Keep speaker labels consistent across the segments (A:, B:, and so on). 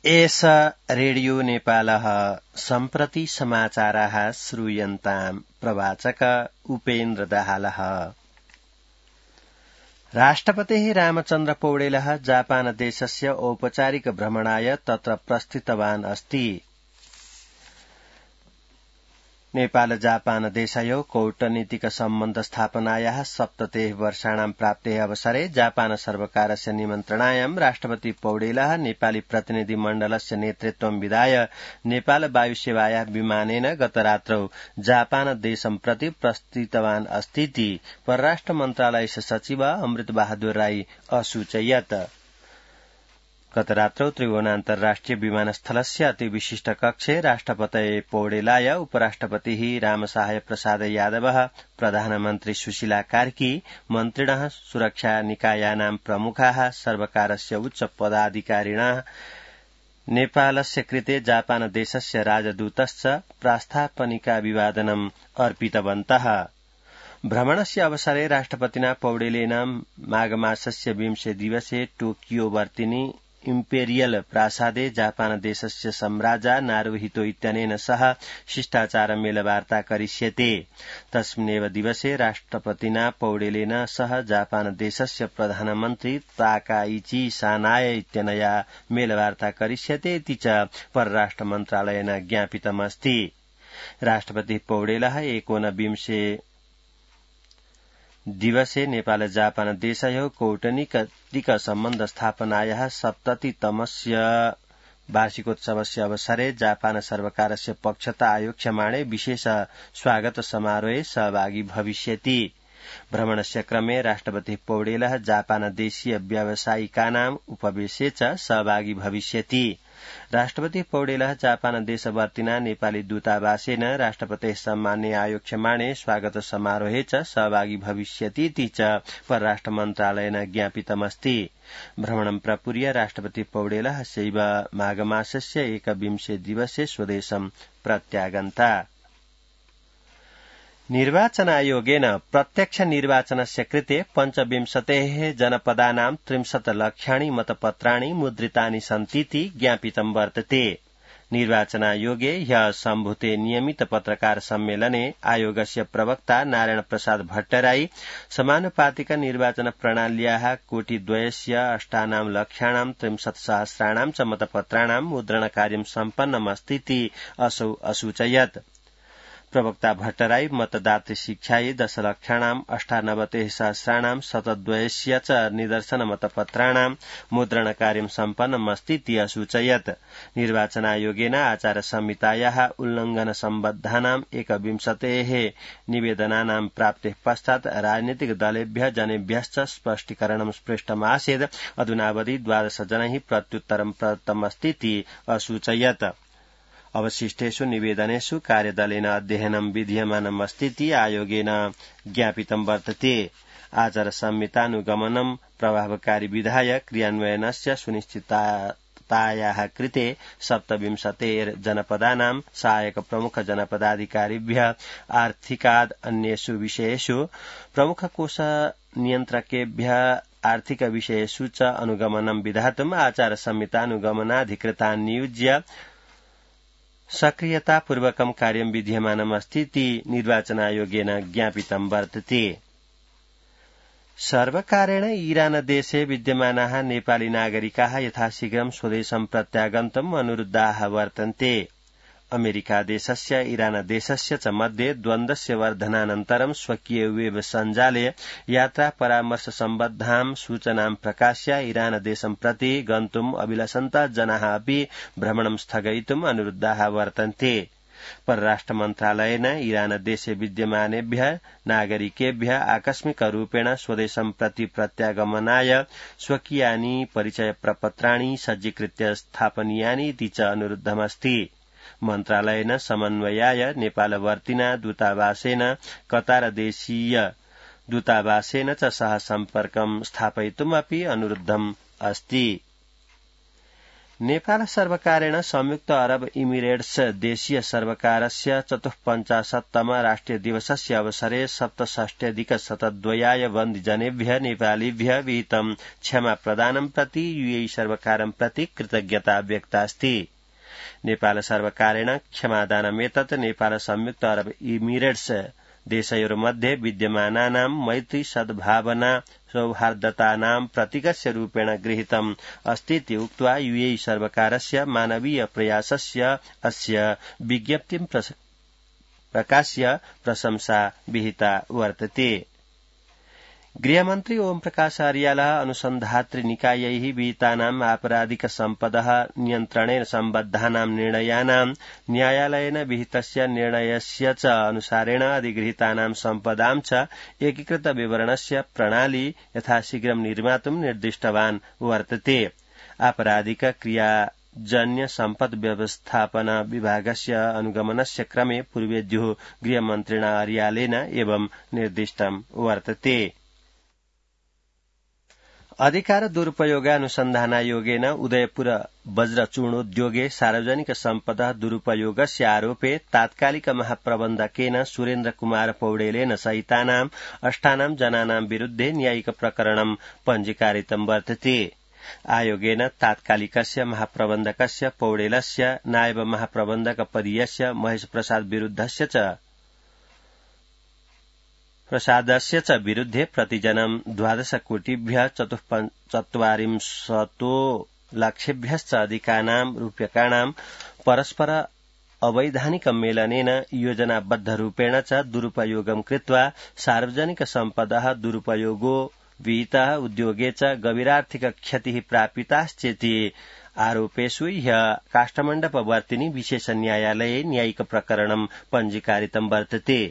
A: एष रेडियो नेपालः सम्प्रति समाचाराः श्रूयन्ताम् प्रवाचक उपेन्द्र दाहालः। राष्ट्रपतिः रामचन्द्र पौडेलः जापान देशस्य औपचारिक भ्रमणाय तत्र प्रस्थितवान् अस्ति। नेपाल जापान देशयोः कूटनीतिक सम्बन्ध स्थापनायाः 70 वर्षाणां प्राप्तेः अवसरे जापान सर्वकारस्य निमन्त्रणायां राष्ट्रपति पौडेलः नेपाली प्रतिनिधि मण्डलस्य नेतृत्वं विधाय नेपाल वायुसेवायाः विमानेन गतरात्रौ जापान देशं प्रति प्रस्थितवान् अस्तीति परराष्ट्र मन्त्रालयस्य सचिव अमृत बहादुर राई असूचयत्। गतरात्रौ त्रिभुवन अन्तर्राष्ट्रिय विमानस्थलस्य अति विशिष्ट कक्षे राष्ट्रपतये पौडेलाय उपराष्ट्रपतिः रामसहाय प्रसाद यादवः, प्रधानमन्त्री सुशीला कार्की, मन्त्रिणः, सुरक्षा निकायानां प्रमुखाः, सर्वकारस्य उच्च पदाधिकारिणः, नेपालस्य कृते जापान देशस्य राजदूतश्च प्रास्तापनिकाभिवादनम् अर्पितवन्तः। भ्रमणस्य अवसरे राष्ट्रपतिना पौडेलेन माघमासस्य 20 दिवसे टोकियो वर्तिनि इम्पेरियल प्रासादे जापान देशस्य सम्राजा नारुहितो इत्यनेन सह शिष्टाचार मेलवार्ता करिष्यते। तस्मिन्नेव दिवसे राष्ट्रपतिना पौडेलेन सह जापान देशस्य प्रधानमन्त्री ताकाइची सानाय इत्यनया मेलवार्ता करिष्यते इति च परराष्ट्र मन्त्रालयेन ज्ञापितमस्ति। राष्ट्रपति पौडेलः 19 दिवसे नेपाल जापान देशयोः कूटनीतिक सम्बन्ध स्थापनायाः 70तमस्य वार्षिकोत्सवस्य अवसरे जापान सर्वकारस्य पक्षतः आयोक्ष्यमाणे विशेष स्वागत समारोहे सहभागी भविष्यति। भ्रमणस्य क्रमे राष्ट्रपति पौडेलः जापान देशीय व्यावसायिकानाम् उपवेशे च सहभागी भविष्यति। राष्ट्रपति पौडेलः जापान देशवर्तिना नेपाली दूतावासेन राष्ट्रपतेः सम्माने आयोक्ष्यमाणे स्वागत समारोहे च सहभागी भविष्यति इति च परराष्ट्र मन्त्रालयेन ज्ञापितमस्ति। भ्रमणं प्रपूर्य राष्ट्रपति पौडेलः सैव माघमासस्य 21 दिवसे स्वदेशं प्रत्यागन्ता। निर्वाचनायोगेन प्रत्यक्ष निर्वाचनस्य कृते 25 जनपदानां 30 लक्षाणि मतपत्राणि मुद्रितानि सन्तीति ज्ञापितं वर्तते। निर्वाचनायोगे ह्यः सम्भूते नियमित पत्रकार सम्मेलने आयोगस्य प्रवक्ता नारायण प्रसाद भट्टराई समानुपातिक निर्वाचन प्रणाल्याः 2,28 लक्षाणां 63,000 च मतपत्राणां मुद्रणकार्यं सम्पन्नमस्तीति असौ असूचयत्। प्रवक्ता भट्टराई मतदातृ शिक्षायै 10,98,000 शतद्वयस्य च निदर्शन मतपत्राणां मुद्रणकार्यं सम्पन्नमस्तीति असूचयत्। निर्वाचनायोगेन आचार संहितायाः उल्लंघन सम्बद्धानां 21 निवेदनानां प्राप्तेः पश्चात् राजनीतिक दलेभ्यः जनेभ्यश्च स्पष्टीकरणं पृष्टमासीत्। अधुनावधि 12 जनैः प्रत्युत्तरं प्रदत्तमस्तीति असूचयत्। अवशिष्टेषु निवेदनेषु कार्यदलेन अध्ययनं विधीयमानमस्तीति आयोगेन ज्ञापितं वर्तते। आचार संहितानुगमनं प्रभावकारी विधाय क्रियान्वयनस्य सुनिश्चिततायाः कृते 27 जनपदानां सहायक प्रमुख जनपदाधिकारिभ्यः आर्थिकाद् अन्येषु विषयेषु प्रमुख कोष नियन्त्रकेभ्यः आर्थिक विषयेषु च अनुगमनं विधातुम् आचार संहितानुगमनाधिकृतान् नियुज्य सक्रियतापूर्वकं कार्यं विधीयमानमस्तीति निर्वाचनायोगेन ज्ञापितं वर्तते। सर्वकारेण ईरान देशे विद्यमानाः नेपाली नागरिकाः यथाशीघ्रं स्वदेशं प्रत्यागन्तुम् अनुरुद्धाः वर्तन्ते। अमेरिका देशस्य ईरान देशस्य च मध्ये द्वन्द्वस्य वर्धनानन्तरं स्वकीय वेब सञ्जाले यात्रा परामर्श सम्बद्धां सूचनां प्रकाश्य ईरान देशं प्रति गन्तुम् अभिलषन्तः जनाः अपि भ्रमणं स्थगयितुम् अनुरुद्धाः वर्तन्ते। परराष्ट्र मन्त्रालयेन ईरान देशे विद्यमानेभ्यः नागरिकेभ्यः आकस्मिक रूपेण स्वदेशं प्रति प्रत्यागमनाय स्वकीयानि परिचय प्रपत्राणि सज्जीकृत्य स्थापनीयानि इति च अनुरुद्धमस्ति। मन्त्रालयेन समन्वयाय नेपालवर्तिना दूतावासेन कतार देशीय दूतावासेन च सह सम्पर्कं स्थापयितुमपि अनुरुद्धम् अस्ति। नेपाल सर्वकारेण संयुक्त अरब इमिरेट्स देशीय सर्वकारस्य 54तम राष्ट्रिय दिवसस्य अवसरे 67,000 बन्दिजनेभ्यः नेपालीभ्यः विहितं क्षमा प्रदानं प्रति यूएई सर्वकारं प्रति कृतज्ञता व्यक्ता अस्ति। नेपाल सर्वकारेण क्षमादानमेतत् नेपाल संयुक्त अरब इमिरेट्स देशयोर्मध्ये विद्यमानानां मैत्री सद्भावना सौहार्दतानां प्रतीकस्य रूपेण गृहीतम् अस्तीति उक्त्वा यूएई सर्वकारस्य मानवीय प्रयासस्य अस्य विज्ञप्तिं प्रकाश्य प्रशंसा विहिता वर्तते। गृहमन्त्री ओम प्रकाश अर्यालः अनुसन्धात्री निकायैः विहितानाम् आपराधिक सम्पदः नियन्त्रणेन सम्बद्धानां निर्णयानां न्यायालयेन विहितस्य निर्णयस्य च अनुसारेण अधिगृहीतानां सम्पदां च एकीकृत विवरणस्य प्रणाली यथाशीघ्रं निर्मातुं निर्दिष्टवान् वर्तते। आपराधिक क्रियाजन्य सम्पद व्यवस्थापन विभागस्य अनुगमनस्य क्रमे पूर्वेद्युः गृहमन्त्रिणा अर्यालेन एवं निर्दिष्टं वर्तते। अधिकार दुरुपयोगानुसन्धानायोगेन उदयपुर वज्रचूर्णोद्योगे सार्वजनिक सम्पदा दुरुपयोगस्य आरोपे तात्कालिक महाप्रबन्धकेन सुरेन्द्र कुमार पौडेलेन सहितानां 8 जनानां विरुद्धे न्यायिक प्रकरणं पञ्जीकारितं वर्तते। आयोगेन तात्कालिकस्य महाप्रबन्धकस्य पौडेलस्य नायब महाप्रबन्धक पदीयस्य महेश प्रसादस्य च विरुद्धे प्रतिजनं 12 कोटिभ्यः 44 लक्षेभ्यश्च अधिकानां रूप्यकाणां परस्पर अवैधानिक मेलनेन योजनाबद्ध रूपेण च दुरुपयोगं कृत्वा सार्वजनिक सम्पदः दुरुपयोगो विहितः उद्योगे च गभीरार्थिक क्षतिः प्रापिताश्चेति आरोपेषु ह्यः काष्ठमण्डपवर्तिनि विशेष न्यायालये न्यायिक प्रकरणं पञ्जीकारितं वर्तते।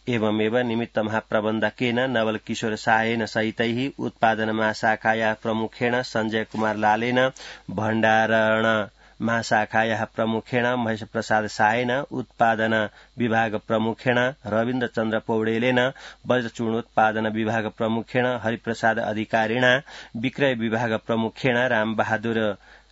A: एवमेव निमित्त महाप्रबन्धकेन नवल किशोर साहेन सहितैः उत्पादन महाशाखायाः प्रमुखेण संजय कुमार लालेन भण्डारण महाशाखायाः प्रमुखेण महेश प्रसाद साहेन उत्पादन विभाग प्रमुखेण रविन्द्र चन्द्र पौडेलेन वज्रचूर्णोत्पादन विभाग प्रमुखेण हरिप्रसाद अधिकारिणा विक्रय विभाग प्रमुखेण रामबहादुर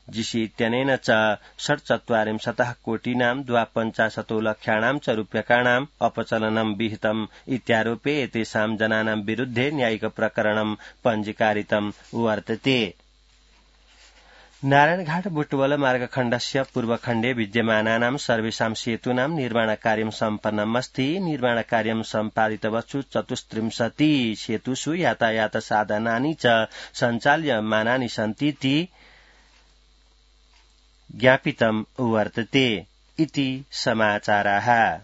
A: जीसी इत्यनेन च 47 कोटीनां 52 लक्षाणां च रूप्यकाणाम् अपचलनं विहितम् इत्यारोपे एतेषां जनानां विरुद्धे न्यायिक प्रकरणं पञ्जीकारितं वर्तते। नारायणघाट बुटवल मार्गखण्डस्य पूर्वखण्डे विद्यमानानां सर्वेषां सेतूनां निर्माणकार्यं सम्पन्नम् अस्ति। निर्माणकार्यं सम्पादितवत्सु 34 सेतुषु यातायात साधनानि च सञ्चाल्यमानानि सन्तीति ज्ञापितं वर्तते इति समाचाराः।